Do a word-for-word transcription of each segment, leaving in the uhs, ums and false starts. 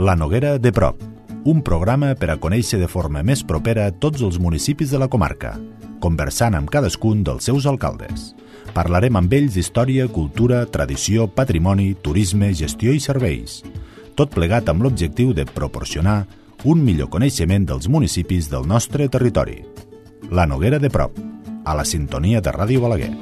La Noguera de prop, un programa per a conèixer de forma més propera tots els municipis de la comarca, conversant amb cadascun dels seus alcaldes. Parlarem amb ells d'història, cultura, tradició, patrimoni, turisme, gestió i serveis. Tot plegat amb l'objectiu de proporcionar un millor coneixement dels municipis del nostre territori. La Noguera de prop, a la sintonia de Ràdio Balaguer.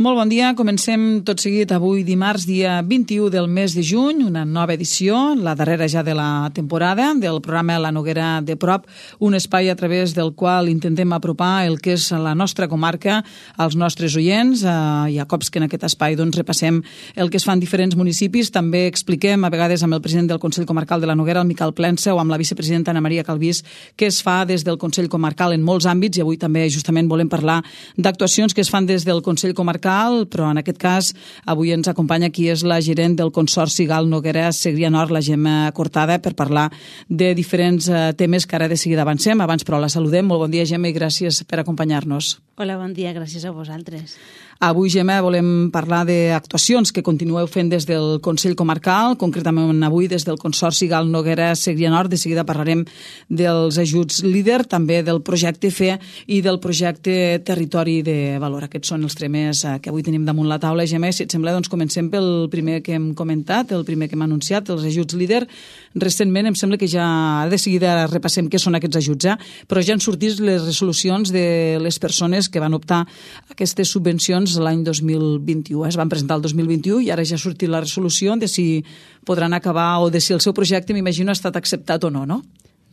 Molt bon dia, comencem tot seguit avui dimarts, dia vint-i-u del mes de juny, una nova edició, la darrera ja de la temporada, del programa La Noguera de prop, un espai a través del qual intentem apropar el que és la nostra comarca als nostres oients. Eh, hi ha cops que en aquest espai doncs, repassem el que es fa en diferents municipis, també expliquem a vegades amb el president del Consell Comarcal de la Noguera, el Miquel Plensa, o amb la vicepresidenta Ana Maria Calvís, què es fa des del Consell Comarcal en molts àmbits, i avui també justament volem parlar d'actuacions que es fan des del Consell Comarcal, però en aquest cas avui ens acompanya qui és la gerent del Consorci Gal Noguera Segrià Nord, la Gemma Cortada, per parlar de diferents temes que ara de seguida avancem. Abans, però, la saludem. Molt bon dia, Gemma, i gràcies per acompanyar-nos. Hola, bon dia, gràcies a vosaltres. Avui, Gemma, volem parlar d'actuacions que continueu fent des del Consell Comarcal, concretament avui des del Consorci Gal Noguera Segrià Nord. De seguida parlarem dels ajuts líder, també del projecte F E i del projecte Territori de Valor. Aquests són els temes que avui tenim damunt la taula. Gemma, si et sembla, doncs comencem pel primer que hem comentat, el primer que hem anunciat, els ajuts líder. Recentment em sembla que ja de seguida repassem què són aquests ajuts, eh? Però ja han sortit les resolucions de les persones que van optar a aquestes subvencions l'any dos mil vint-i-u. Es van presentar el dos mil vint-i-u i ara ja ha sortit la resolució de si podran acabar o de si el seu projecte, m'imagino, ha estat acceptat o no, no?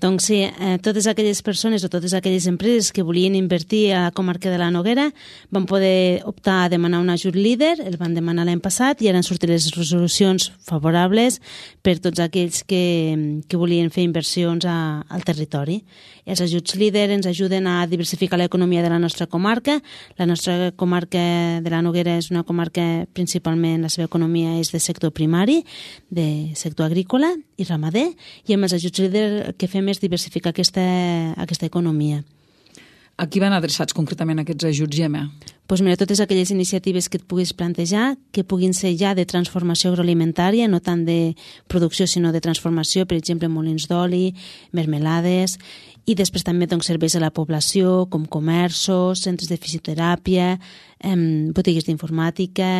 Doncs sí, eh, totes aquelles persones o totes aquelles empreses que volien invertir a la comarca de la Noguera van poder optar a demanar un ajut líder, el van demanar l'any passat i ara han sortit les resolucions favorables per tots aquells que, que volien fer inversions a, al territori. Els ajuts líder ens ajuden a diversificar l'economia de la nostra comarca. La nostra comarca de la Noguera és una comarca, principalment la seva economia és de sector primari, de sector agrícola i ramader, i amb els ajuts líder el que fem és diversificar aquesta, aquesta economia. A qui van adreçats concretament aquests ajuts, Gemma? Doncs mira, totes aquelles iniciatives que et puguis plantejar, que puguin ser ja de transformació agroalimentària, no tant de producció, sinó de transformació, per exemple, molins d'oli, mermelades, i després també doncs, serveis a la població, com comerços, centres de fisioteràpia, eh, botigues d'informàtica,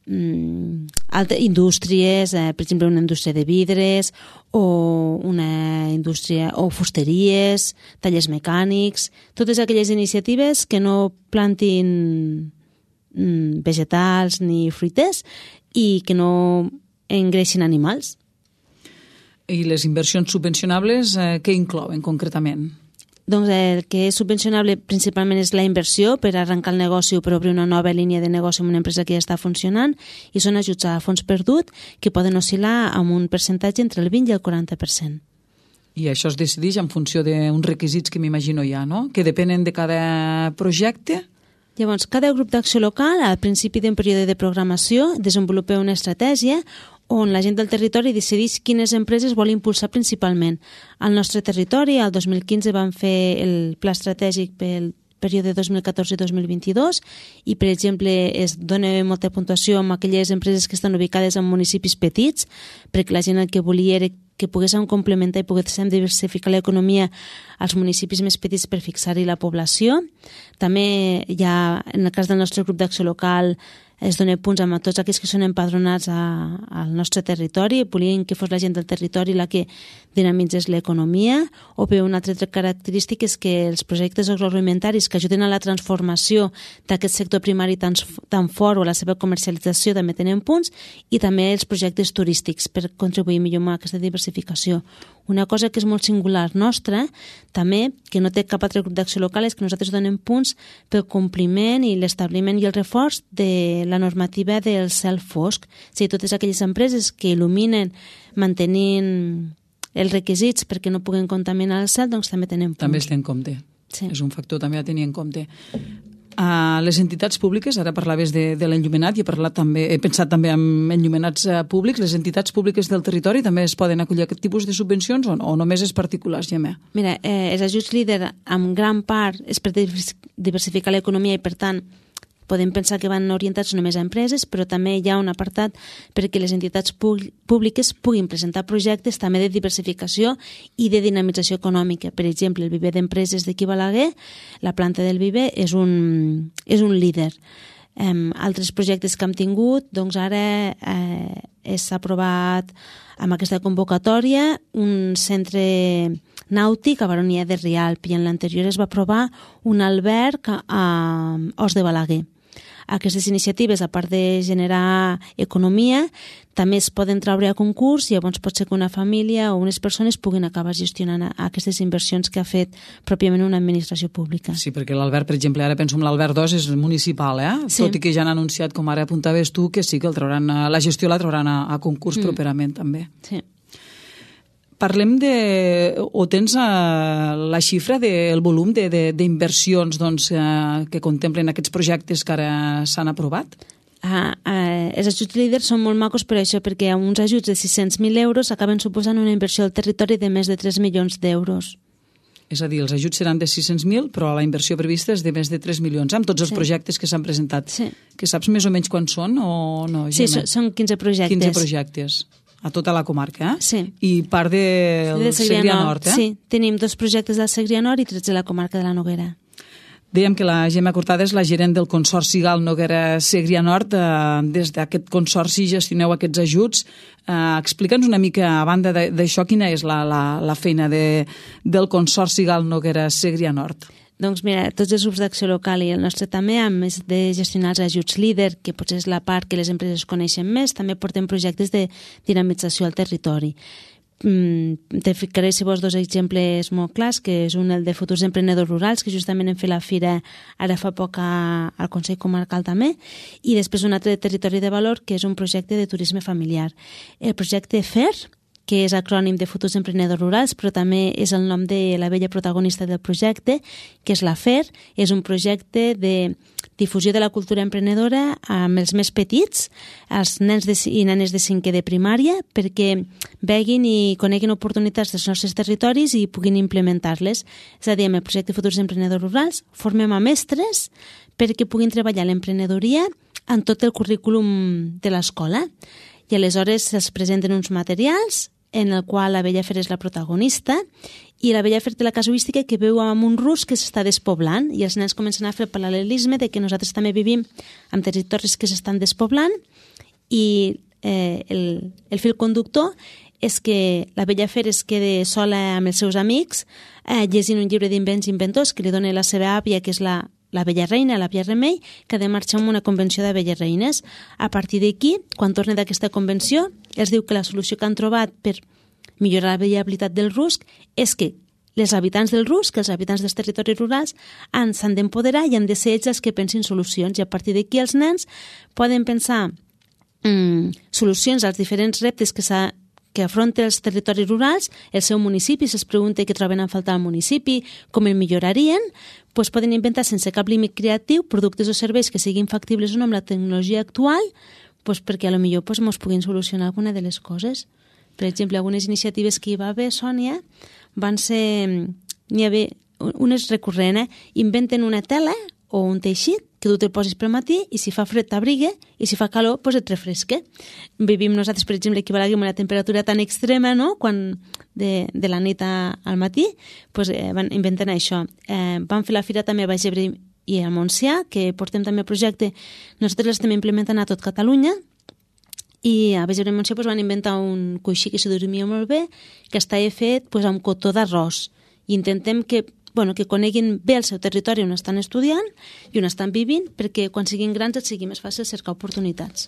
altres indústries, eh, per exemple una indústria de vidres o una indústria o fusteries, tallers mecànics, totes aquelles iniciatives que no plantin mm, vegetals ni fruites i que no engreixin animals. I les inversions subvencionables, eh, què inclouen concretament? Doncs el que és subvencionable principalment és la inversió per arrencar el negoci o per obrir una nova línia de negoci amb una empresa que ja està funcionant, i són ajuts a fons perdut que poden oscil·lar amb un percentatge entre el vint i el quaranta per cent. I això es decideix en funció d'uns requisits que m'imagino ja, no? Que depenen de cada projecte? Llavors, cada grup d'acció local, al principi d'un període de programació, desenvolupa una estratègia on la gent del territori decideix quines empreses vol impulsar principalment. Al nostre territori, el dos mil quinze, vam fer el pla estratègic pel període dos mil catorze dos mil vint-i-dos i, per exemple, es dona molta puntuació amb aquelles empreses que estan ubicades en municipis petits, perquè la gent el que volia era que poguéssim complementar i poguéssim diversificar l'economia als municipis més petits per fixar-hi la població. També hi ha, en el cas del nostre grup d'acció local, es dona punts a tots aquells que són empadronats a, al nostre territori, volien que fos la gent del territori la que dinamitzés l'economia, o bé una altra característica és que els projectes agroalimentaris que ajuden a la transformació d'aquest sector primari tan, tan fort o a la seva comercialització també tenen punts, i també els projectes turístics per contribuir millor a aquesta diversificació. Una cosa que és molt singular nostra, també, que no té cap altre grup d'acció local, és que nosaltres donem punts pel compliment i l'establiment i el reforç de la normativa del cel fosc. O sigui, totes aquelles empreses que il·luminen mantenint els requisits perquè no puguen contaminar el cel, doncs també tenen punts. També es té en compte. Sí. És un factor també a tenir en compte. A les entitats públiques, ara parlaves de, de l'enllumenat, i he, parlat també, he pensat també en enllumenats públics, les entitats públiques del territori també es poden acollir aquest tipus de subvencions o, o només és particulars, Gemma? Mira, eh, els ajuts líder en gran part és per diversificar l'economia i per tant podem pensar que van orientats només a empreses, però també hi ha un apartat perquè les entitats públiques puguin presentar projectes també de diversificació i de dinamització econòmica. Per exemple, el viver d'empreses d'aquí a Balaguer, la planta del viver és un, és un líder. Um, altres projectes que hem tingut, doncs ara eh, s'ha aprovat amb aquesta convocatòria un centre nàutic a Baronia de Rialp i en l'anterior es va aprovar un alberg a, a Os de Balaguer. Aquestes iniciatives, a part de generar economia, també es poden treure a concurs i llavors pot ser que una família o unes persones puguin acabar gestionant aquestes inversions que ha fet pròpiament una administració pública. Sí, perquè l'Albert, per exemple, ara penso en l'Albert dos, és municipal, eh? Sí. Tot i que ja han anunciat, com ara apuntaves tu, que sí que el trauran, la gestió la trauran a, a concurs mm. properament també. Sí. Parlem de... o tens uh, la xifra del volum d'inversions doncs, uh, que contemplen aquests projectes que ara s'han aprovat? Ah, ah, els ajuts líders són molt macos per això, perquè uns ajuts de sis-cents mil euros acaben suposant una inversió al territori de més de tres milions d'euros. És a dir, els ajuts seran de sis-cents mil, però la inversió prevista és de més de tres milions, amb tots els sí. projectes que s'han presentat. Sí. Que saps més o menys quan són o no, Gemma? Sí, són quinze projectes. quinze projectes. A tota la comarca, eh? Sí. I part del de Segrià Nord, eh? Sí, tenim dos projectes del Segrià Nord i tres de la comarca de la Noguera. Dèiem que la Gemma Cortada és la gerent del Consorci Gal Noguera Segrià Nord. Eh, des d'aquest consorci gestioneu aquests ajuts. Eh, Explica'ns una mica, a banda d'això, quina és la, la, la feina de, del Consorci Gal Noguera Segrià Nord? Doncs mira, tots els grups d'acció local i el nostre també, a més de gestionar els ajuts líder, que potser és la part que les empreses coneixen més, també portem projectes de dinamització al territori. Mm, te ficaré, si vols, dos exemples molt clars, que és un el de futurs emprenedors rurals, que justament hem fet la fira ara fa poc a, al Consell Comarcal també, i després un altre de territori de valor, que és un projecte de turisme familiar. El projecte F E R, que és acrònim de Futurs Emprenedors Rurals, però també és el nom de la vella protagonista del projecte, que és la F E R. És un projecte de difusió de la cultura emprenedora amb els més petits, els nens de, i nenes de cinquè de primària, perquè veguin i coneguin oportunitats dels nostres territoris i puguin implementar-les. És a dir, amb el projecte Futurs Emprenedors Rurals formem a mestres perquè puguin treballar l'emprenedoria en tot el currículum de l'escola. I aleshores es presenten uns materials en el qual la Bella Fer és la protagonista i la Bella Fer té la casuística que veu amb un rus que s'està despoblant i els nens comencen a fer el paral·lelisme de que nosaltres també vivim en territoris que s'estan despoblant i eh, el, el fil conductor és que la Bella Fer es queda sola amb els seus amics eh, llegint un llibre d'invents inventors que li dona la seva àvia, que és la la Bella Reina, l'àvia Remei, que ha de marxar a una convenció de Belles Reines. A partir d'aquí, quan torna d'aquesta convenció, els diu que la solució que han trobat per millorar la viabilitat del rusc és que els habitants del rusc, que els habitants dels territoris rurals, s'han d'empoderar i han de ser ells els que pensin solucions. I a partir d'aquí els nens poden pensar mm, solucions als diferents reptes que s'ha que afronta els territoris rurals, el seu municipi, si es pregunta què troben a faltar al municipi, com el millorarien, doncs poden inventar sense cap límit creatiu productes o serveis que siguin factibles o no amb la tecnologia actual, doncs perquè a lo millor doncs, mos puguin solucionar alguna de les coses. Per exemple, algunes iniciatives que hi va haver, Sònia, van ser... N'hi havia unes recurrent, eh? Inventen una tela o un teixit que tu te'l posis pel matí i si fa fred t'abriga i si fa calor doncs et refresca. Vivim nosaltres, per exemple, aquí a Balaguer amb una temperatura tan extrema, no?, quan de, de la nit a, al matí, doncs eh, van inventant això. Eh, van fer la fira també a Baix Ebre i a Montsià, que portem també el projecte, nosaltres l'estem implementant a tot Catalunya, i a Baix Ebre i Montsià doncs, van inventar un coixí que s'hi dormia molt bé, que estava fet doncs, amb cotó d'arròs. I intentem que bueno, que coneguin bé el seu territori on estan estudiant i on estan vivint, perquè quan siguin grans et sigui més fàcil cercar oportunitats.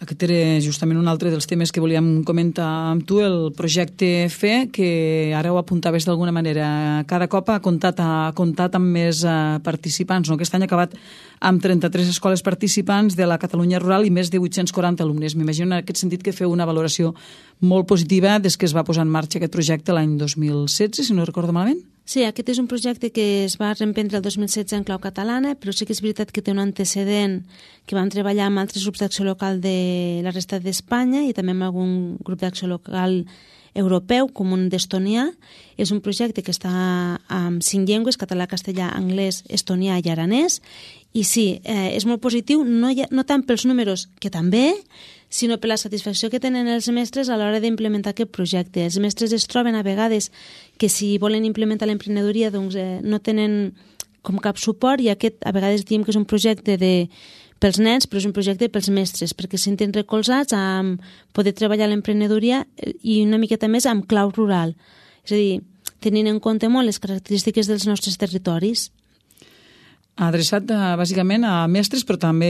Aquest era justament un altre dels temes que volíem comentar amb tu, el projecte F E, que ara ho apuntaves d'alguna manera. Cada cop ha comptat, ha comptat amb més uh, participants. No? Aquest any ha acabat amb trenta-tres escoles participants de la Catalunya rural i més de vuit-cents quaranta alumnes. M'imagino en aquest sentit que feu una valoració molt positiva des que es va posar en marxa aquest projecte l'any dos mil setze, si no recordo malament. Sí, aquest és un projecte que es va reemprendre el dos mil setze en clau catalana, però sí que és veritat que té un antecedent que vam treballar amb altres grups d'acció local de la resta d'Espanya i també amb algun grup d'acció local europeu, com un d'estonià. És un projecte que està amb cinc llengües, català, castellà, anglès, estonià i aranès. I sí, eh, és molt positiu, no, ha, no tant pels números, que també, sinó per la satisfacció que tenen els mestres a l'hora d'implementar aquest projecte. Els mestres es troben a vegades que si volen implementar l'emprenedoria doncs, eh, no tenen com cap suport i aquest a vegades diem que és un projecte de, pels nens, però és un projecte pels mestres, perquè se senten recolzats a poder treballar l'emprenedoria i una miqueta més amb clau rural. És a dir, tenint en compte molt les característiques dels nostres territoris. Adreçat a, bàsicament a mestres, però també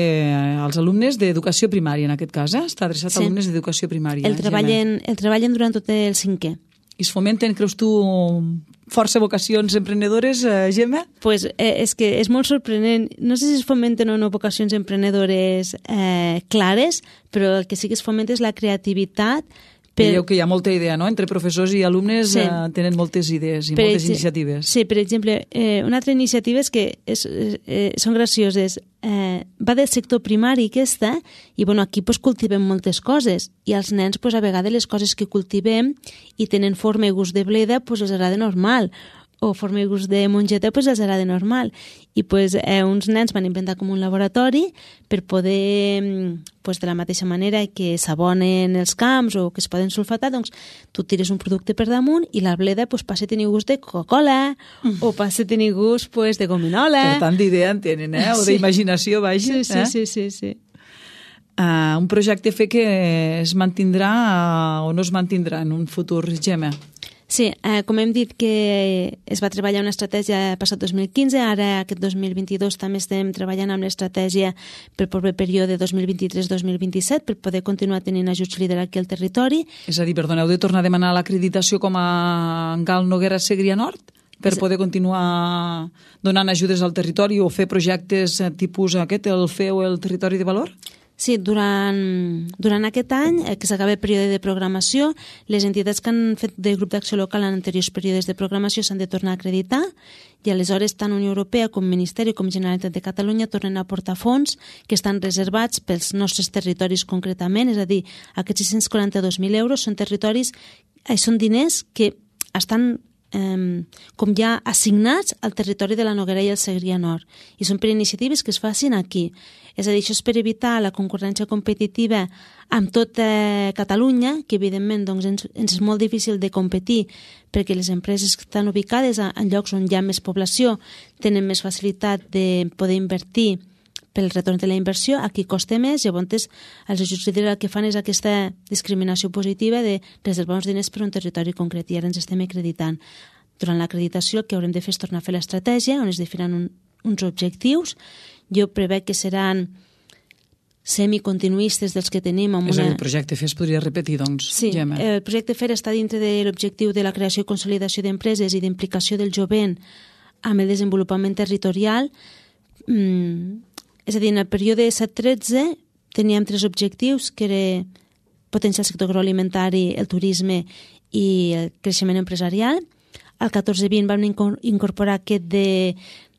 als alumnes d'educació primària, en aquest cas, eh? Està adreçat sí. a alumnes d'educació primària. El treballen, el treballen durant tot el cinquè. I es fomenten, creus tu, força vocacions emprenedores, eh, Gemma? Pues, eh, és que és molt sorprenent. No sé si es fomenten o no vocacions emprenedores eh, clares, però el que sí que es fomenta és la creativitat. Per... Veieu que hi ha molta idea, no? Entre professors i alumnes sí. eh, tenen moltes idees i per moltes iniciatives. Sí, per exemple, eh, una altra iniciativa és que és, eh, són gracioses. Eh, va del sector primari aquesta i bueno, aquí pues, cultivem moltes coses i als nens pues, a vegades les coses que cultivem i tenen forma i gust de bleda pues, els agrada normal o forma i gust de mongeta pues, els agrada normal i pues, eh, uns nens van inventar com un laboratori per poder pues, de la mateixa manera que s'abonen els camps o que es poden sulfatar, doncs tu tires un producte per damunt i la bleda pues, passa a tenir gust de Coca-Cola mm. o passa a tenir gust pues, de gominola. Per tant d'idea en tenen, eh? O sí. d'imaginació, vaja. Sí, sí, eh? sí, sí, sí. Uh, un projecte fer que es mantindrà uh, o no es mantindrà en un futur, Gemma? Sí, eh, com hem dit que es va treballar una estratègia passat dos mil quinze, ara aquest dos mil vint-i-dos també estem treballant amb l'estratègia pel proper període dos mil vint-i-tres dos mil vint-i-set per poder continuar tenint ajuts líder aquí al territori. És a dir, perdoneu, de tornar a demanar l'acreditació com a Gal Noguera Segrià Nord per poder continuar donant ajudes al territori o fer projectes tipus aquest, el F E O, el Territori de Valor? Sí, durant, durant aquest any, eh, que s'acaba el període de programació, les entitats que han fet de grup d'acció local en anteriors períodes de programació s'han de tornar a acreditar i aleshores tant Unió Europea com Ministeri com Generalitat de Catalunya tornen a aportar fons que estan reservats pels nostres territoris concretament, és a dir, aquests sis-cents quaranta-dos mil euros són territoris, eh, són diners que estan eh, com ja assignats al territori de la Noguera i el Segrià Nord i són per iniciatives que es facin aquí. És a dir, això és per evitar la concurrència competitiva amb tota Catalunya, que evidentment doncs, ens, ens és molt difícil de competir perquè les empreses que estan ubicades en llocs on hi ha més població tenen més facilitat de poder invertir pel retorn de la inversió, aquí costa més, llavors els ajuts líders el que fan és aquesta discriminació positiva de reservar uns diners per un territori concret i ara ens estem acreditant. Durant l'acreditació el que haurem de fer és tornar a fer l'estratègia on es definiran un, uns objectius. Jo prevec que seran semicontinuistes dels que tenim. Amb és una... a dir, el projecte F E S podria repetir, doncs, sí, Gemma. El projecte F E R està dintre de l'objectiu de la creació i consolidació d'empreses i d'implicació del jovent amb el desenvolupament territorial. Mm, és a dir, en el període set tretze teníem tres objectius, que era potenciar el sector agroalimentari, el turisme i el creixement empresarial. Al catorze vint vam incorporar aquest de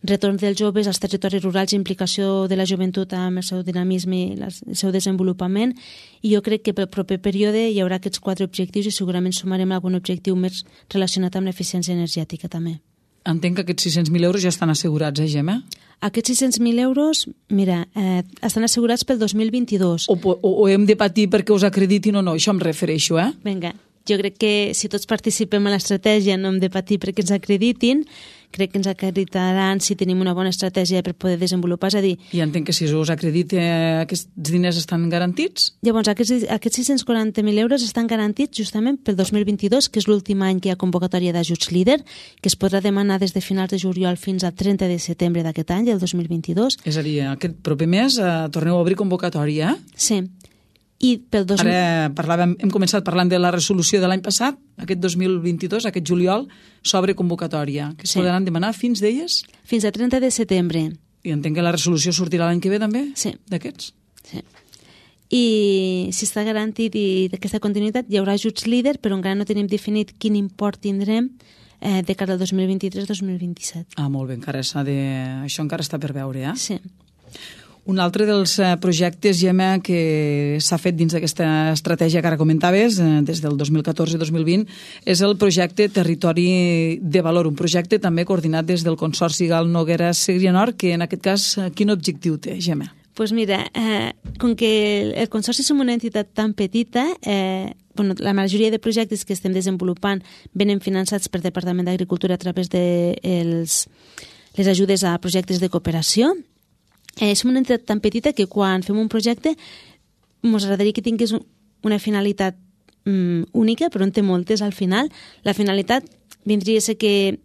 retorn dels joves als territoris rurals i implicació de la joventut amb el seu dinamisme i el seu desenvolupament. I jo crec que pel proper període hi haurà aquests quatre objectius i segurament sumarem algun objectiu més relacionat amb l'eficiència energètica també. Entenc que aquests sis-cents mil euros ja estan assegurats, eh, Gemma? Aquests sis-cents mil euros, mira, eh, estan assegurats pel dos mil vint-i-dos. O, o, o hem de patir perquè us acreditin o no, això em refereixo, eh? Vinga, jo crec que si tots participem a l'estratègia no hem de patir perquè ens acreditin, crec que ens acreditaran si tenim una bona estratègia per poder desenvolupar, és a dir... I entenc que si us acredita aquests diners estan garantits? Llavors, aquests, aquests sis-cents quaranta mil euros estan garantits justament pel dos mil vint-i-dos, que és l'últim any que hi ha convocatòria d'ajuts líder, que es podrà demanar des de finals de juliol fins al trenta de setembre d'aquest any, del dos mil vint-i-dos. És a dir, aquest proper mes eh, torneu a obrir convocatòria, eh? Sí. I pel dos mil... Ara parlàvem, hem començat parlant de la resolució de l'any passat, aquest dos mil vint-i-dos, aquest juliol, s'obre convocatòria, que es sí. podran demanar fins d'elles? Fins al trenta de setembre. I entenc que la resolució sortirà l'any que ve també? Sí. D'aquests? Sí. I si està garantit i d'aquesta continuïtat hi haurà ajuts líder, però encara no tenim definit quin import tindrem eh, de cara al dos mil vint-i-tres dos mil vint-i-set. Ah, molt bé, encara s'ha de... això encara està per veure, eh? Sí. Un altre dels projectes, Gemma, que s'ha fet dins d'aquesta estratègia que ara comentaves, des del dos mil catorze dos mil vint, és el projecte Territori de Valor, un projecte també coordinat des del Consorci Gal Noguera Segrià Nord, que en aquest cas, quin objectiu té, Gemma? Doncs pues mira, eh, com que el, el Consorci som una entitat tan petita, eh, bueno, la majoria de projectes que estem desenvolupant venen finançats per Departament d'Agricultura a través de els, les ajudes a projectes de cooperació. Eh, som una entitat tan petita que quan fem un projecte ens agradaria que tingués un, una finalitat mm, única, però en té moltes al final. La finalitat vindria a ser que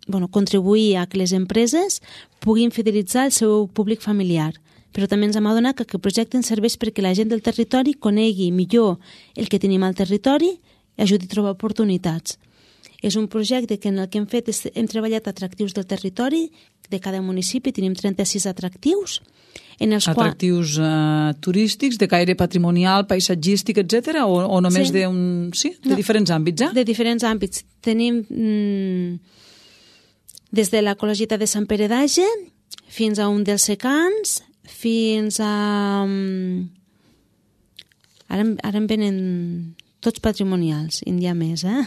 bueno, contribuir a que les empreses puguin fidelitzar el seu públic familiar, però també ens hem adonat que aquest projecte ens serveix perquè la gent del territori conegui millor el que tenim al territori i ajudi a trobar oportunitats. És un projecte que en el que hem fet és, hem treballat atractius del territori de cada municipi, tenim trenta-sis atractius. En els atractius qual... uh, turístics, de caire patrimonial, paisatgístic, etcètera, o, o només sí. de, un... sí? de no, diferents àmbits? Eh? De diferents àmbits. Tenim mm, des de la Col·legiata de Sant Pere d'Age fins a un dels secans, fins a... Um, ara, ara em venen tots patrimonials, en hi ha més, eh?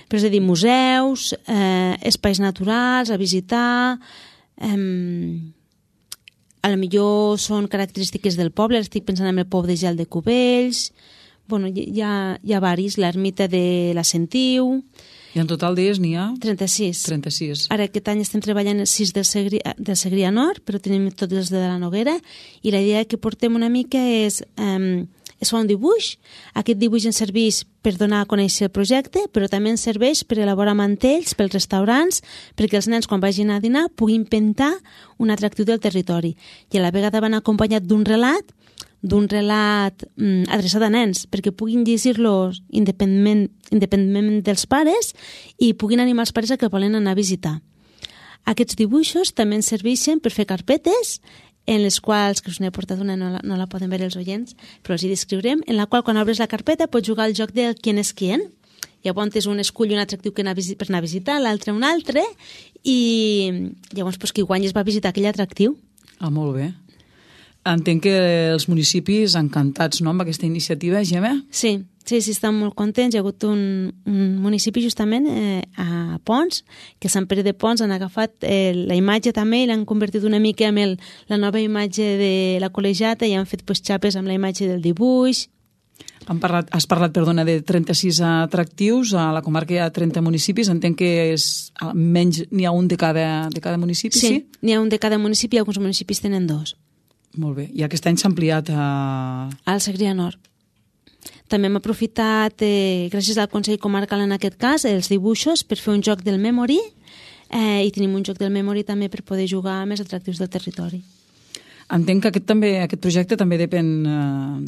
Però és a dir, museus, eh, espais naturals a visitar, eh, a lo millor són característiques del poble, estic pensant en el poble de Gel de Cubells, bueno, hi ha, hi ha varis, l'ermita de la Sentiu... I en total dies n'hi ha? trenta-sis. trenta-sis. Ara aquest any estem treballant els sis del Segrià, del Segrià Nord, però tenim tots els de la Noguera, i la idea que portem una mica és... Eh, es fa un dibuix, aquest dibuix ens serveix per donar a conèixer el projecte, però també ens serveix per elaborar mantells pels restaurants, perquè els nens quan vagin a dinar puguin pintar un atractiu del territori. I a la vegada van acompanyat d'un relat, d'un relat mm, adreçat a nens, perquè puguin llegir-los independentment, independentment dels pares i puguin animar els pares a que volen anar a visitar. Aquests dibuixos també ens serveixen per fer carpetes, en les quals, que us n'he portat una, no la, no la poden veure els oients, però els hi descriurem, en la qual quan obres la carpeta pots jugar al joc del quién és quién. Llavors un escull un atractiu que anar per anar a visitar, l'altre un altre, i llavors pues, qui guanyes va a visitar aquell atractiu. Ah, molt bé. Entenc que els municipis encantats, no?, amb aquesta iniciativa, Gemma? Sí, sí, sí, estan molt contents. Hi ha hagut un, un municipi justament eh, a Pons, que Sant Pere de Pons han agafat eh, la imatge també i l'han convertit una mica en el, la nova imatge de la col·legiata i han fet pues, xapes amb la imatge del dibuix. Han parlat, has parlat, perdona, de trenta-sis atractius. A la comarca hi ha trenta municipis. Entenc que és, almenys n'hi ha un de cada, de cada municipi, sí? Sí, n'hi ha un de cada municipi i alguns municipis tenen dos. Molt bé. I aquest any s'ha ampliat a... Al Segrià Nord. També hem aprofitat, eh, gràcies al Consell Comarcal en aquest cas, els dibuixos per fer un joc del Memory eh, i tenim un joc del Memory també per poder jugar amb els atractius del territori. Entenc que aquest, també, aquest projecte també depèn eh,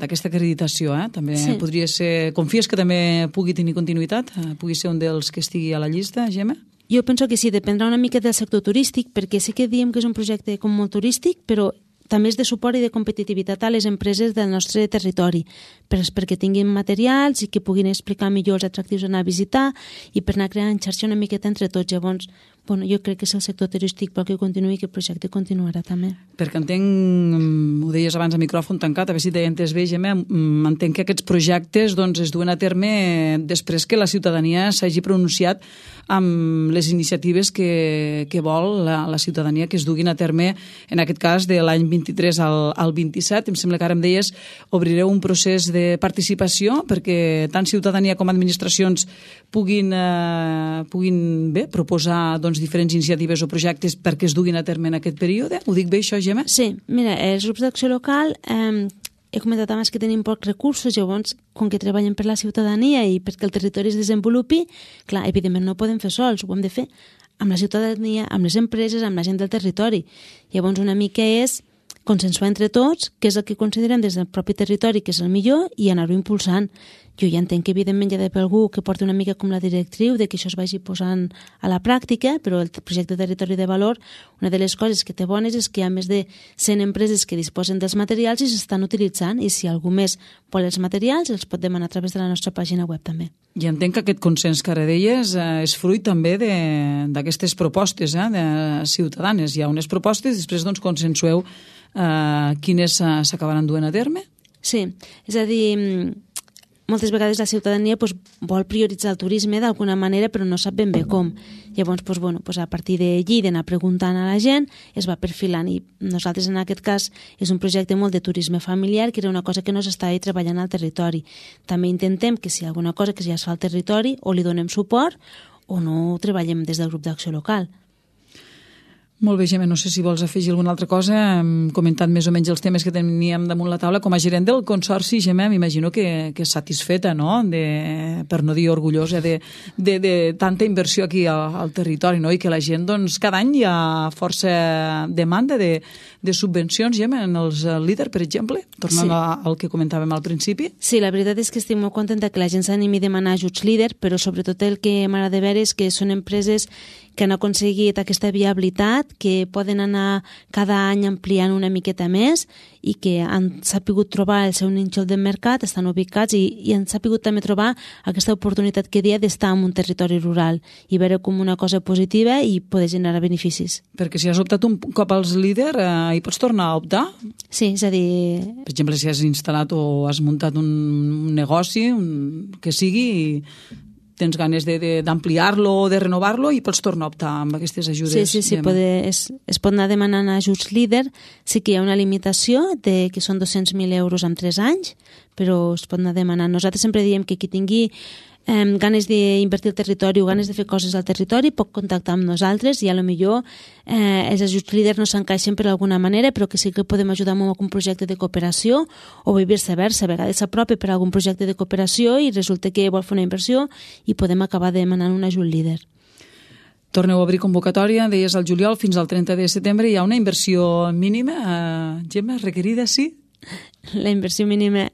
d'aquesta acreditació, eh? També sí. Podria ser... Confies que també pugui tenir continuïtat? Eh, pugui ser un dels que estigui a la llista, Gemma? Jo penso que sí, dependrà una mica del sector turístic, perquè sí que diem que és un projecte com molt turístic, però també és de suport i de competitivitat a les empreses del nostre territori, per, perquè tinguin materials i que puguin explicar millor els atractius a anar a visitar i per anar creant xarxa una miqueta entre tots. Llavors, bueno, jo crec que és el sector turístic pel que continuï i que el projecte continuarà també. Perquè entenc, ho deies abans a micròfon tancat, a veure si t'he entès bé, Gemma, entenc que aquests projectes doncs, es duen a terme després que la ciutadania s'hagi pronunciat amb les iniciatives que, que vol la, la ciutadania que es duguin a terme, en aquest cas de l'any vint-i-tres al, al vint-i-set. Em sembla que ara em deies obrireu un procés de participació perquè tant ciutadania com administracions puguin, eh, puguin bé, proposar doncs, diferents iniciatives o projectes perquè es duguin a terme en aquest període. Ho dic bé, això, Gemma? Sí, mira, els grups d'acció local, eh, he comentat abans que tenim pocs recursos, llavors, com que treballem per la ciutadania i perquè el territori es desenvolupi, clar, evidentment no ho podem fer sols, ho hem de fer amb la ciutadania, amb les empreses, amb la gent del territori. Llavors, una mica és consensuar entre tots què és el que considerem des del propi territori que és el millor i anar-ho impulsant. Jo ja entenc que evidentment hi ha d'haver algú que porti una mica com la directriu de que això es vagi posant a la pràctica, però el projecte de territori de valor, una de les coses que té bones és que hi ha més de cent empreses que disposen dels materials i s'estan utilitzant, i si algú més vol els materials els pot demanar a través de la nostra pàgina web també. I entenc que aquest consens que ara deies eh, és fruit també d'aquestes propostes eh, de ciutadanes. Hi ha unes propostes, després doncs consensueu eh, quines s'acabaran duent a terme? Sí, és a dir, moltes vegades la ciutadania pues, vol prioritzar el turisme d'alguna manera però no sap ben bé com. Llavors, pues, bueno, pues, a partir d'allí d'anar preguntant a la gent es va perfilant, i nosaltres en aquest cas és un projecte molt de turisme familiar, que era una cosa que no s'estava treballant al territori. També intentem que si hi ha alguna cosa que ja es fa al territori o li donem suport o no treballem des del grup d'acció local. Molt bé, Gemma, no sé si vols afegir alguna altra cosa. Hem comentat més o menys els temes que teníem damunt la taula. Com a gerent del Consorci, Gemma, m'imagino que, que és satisfeta, no?, de, per no dir orgullosa, de, de, de tanta inversió aquí al, al territori, no?, i que la gent, doncs, cada any hi ha força demanda de, de subvencions, Gemma, en els líders, per exemple, tornant sí. al que comentàvem al principi. Sí, la veritat és que estic molt contenta que la gent s'animi a demanar ajuts líder, però sobretot el que m'agrada veure és que són empreses que han aconseguit aquesta viabilitat, que poden anar cada any ampliant una miqueta més i que han sapigut trobar el seu nínxol de mercat, estan ubicats i, i han sapigut també trobar aquesta oportunitat que dia d'estar en un territori rural i veure com una cosa positiva i poder generar beneficis. Perquè si has optat un cop als líders, eh, hi pots tornar a optar? Sí, és a dir... Per exemple, si has instal·lat o has muntat un negoci, un, que sigui... I tens ganes d'ampliar-lo o de renovar-lo i pots tornar a optar amb aquestes ajudes. Sí, sí, sí, poder, es, es pot anar demanant ajuts líder. Sí que hi ha una limitació de que són dos-cents mil euros en tres anys, però es pot anar demanant. Nosaltres sempre diem que qui tingui eh, ganes d'invertir al territori o ganes de fer coses al territori pot contactar amb nosaltres i a lo millor eh, els ajuts líder no s'encaixen per alguna manera, però que sí que podem ajudar amb algun projecte de cooperació o viceversa. A vegades s'apropa per algun projecte de cooperació i resulta que vol fer una inversió i podem acabar demanant un ajut líder. Torneu a obrir convocatòria, deies al juliol, fins al trenta de setembre. Hi ha una inversió mínima, eh, Gemma, requerida, sí? La inversió mínima,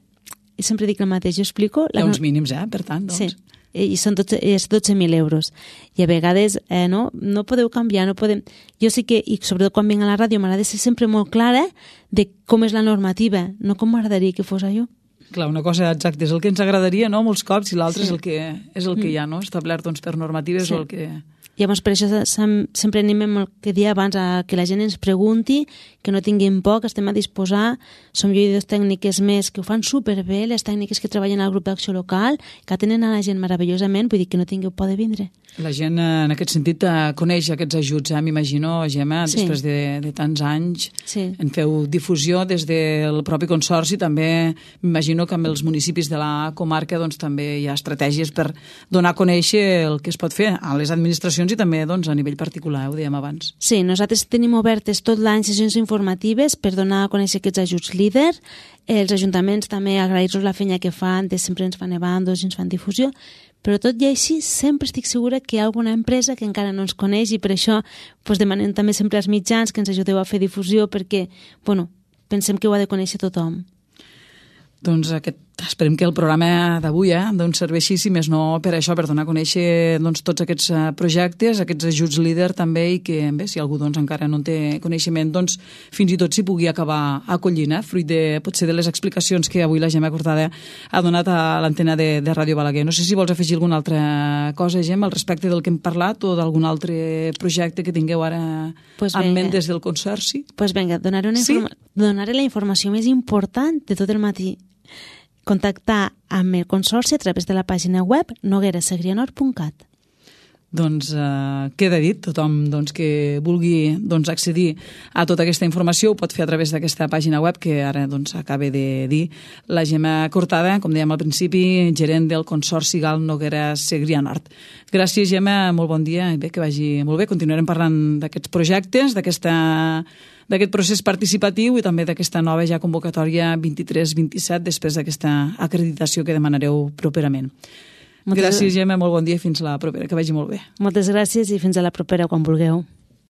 sempre dic el mateix, jo explico... Hi ha uns mínims, eh, per tant, doncs. Sí, i són dotze mil euros. I a vegades eh, no, no podeu canviar, no podem... Jo sí que, i sobretot quan vinc a la ràdio, m'agrada ser sempre molt clara de com és la normativa, no com m'agradaria que fos allò. Clar, una cosa exacta, és el que ens agradaria, no?, molts cops, i l'altre sí. és el que és el que hi ha, no?, establert doncs, per normatives sí. o el que... Llavors, per això sempre animem el que dia abans a que la gent ens pregunti, que no tinguin por, que estem a disposar. Som jo i dues tècniques més que ho fan superbé, les tècniques que treballen al grup d'acció local, que atenen a la gent meravellosament, vull dir que no tingueu por de vindre. La gent, en aquest sentit, coneix aquests ajuts, eh? M'imagino, Gemma, sí. després de, de tants anys, sí. en feu difusió des del propi Consorci, també m'imagino que amb els municipis de la comarca doncs, també hi ha estratègies per donar a conèixer el que es pot fer a les administracions i també doncs, a nivell particular, ho dèiem abans. Sí, nosaltres tenim obertes tot l'any sessions informatives per donar a conèixer aquests ajuts líder. Els ajuntaments també agrair-los la feina que fan, de sempre ens fan evandos i ens fan difusió, però tot i així sempre estic segura que hi ha alguna empresa que encara no ens coneix i per això doncs, demanem també sempre als mitjans que ens ajudeu a fer difusió perquè bueno, pensem que ho ha de conèixer tothom. Doncs aquest, esperem que el programa d'avui eh, doncs serveixi, si més no, per això, per donar a conèixer doncs, tots aquests projectes, aquests ajuts líder també, i que bé, si algú doncs, encara no en té coneixement, doncs fins i tot s'hi pugui acabar acollint, eh, fruit de, potser de les explicacions que avui la Gemma Cortada ha donat a l'antena de, de Ràdio Balaguer. No sé si vols afegir alguna altra cosa, Gemma, al respecte del que hem parlat o d'algun altre projecte que tingueu ara pues en ment des del Consorci. Doncs pues vinga, donaré, una informa- sí? donaré la informació més important de tot el matí. Contactar amb el Consorci a través de la pàgina web noguera segrianor punt cat. Doncs eh, queda dit, tothom doncs, que vulgui doncs, accedir a tota aquesta informació ho pot fer a través d'aquesta pàgina web que ara doncs, acaba de dir la Gemma Cortada, com dèiem al principi, gerent del Consorci Gal Noguera Segrià Nord. Gràcies, Gemma, molt bon dia i bé, que vagi molt bé. Continuarem parlant d'aquests projectes, d'aquesta... d'aquest procés participatiu i també d'aquesta nova ja convocatòria vint-i-tres vint-i-set després d'aquesta acreditació que demanareu properament. Moltes gràcies, Gemma, molt bon dia i fins la propera, que vagi molt bé. Moltes gràcies i fins a la propera quan vulgueu.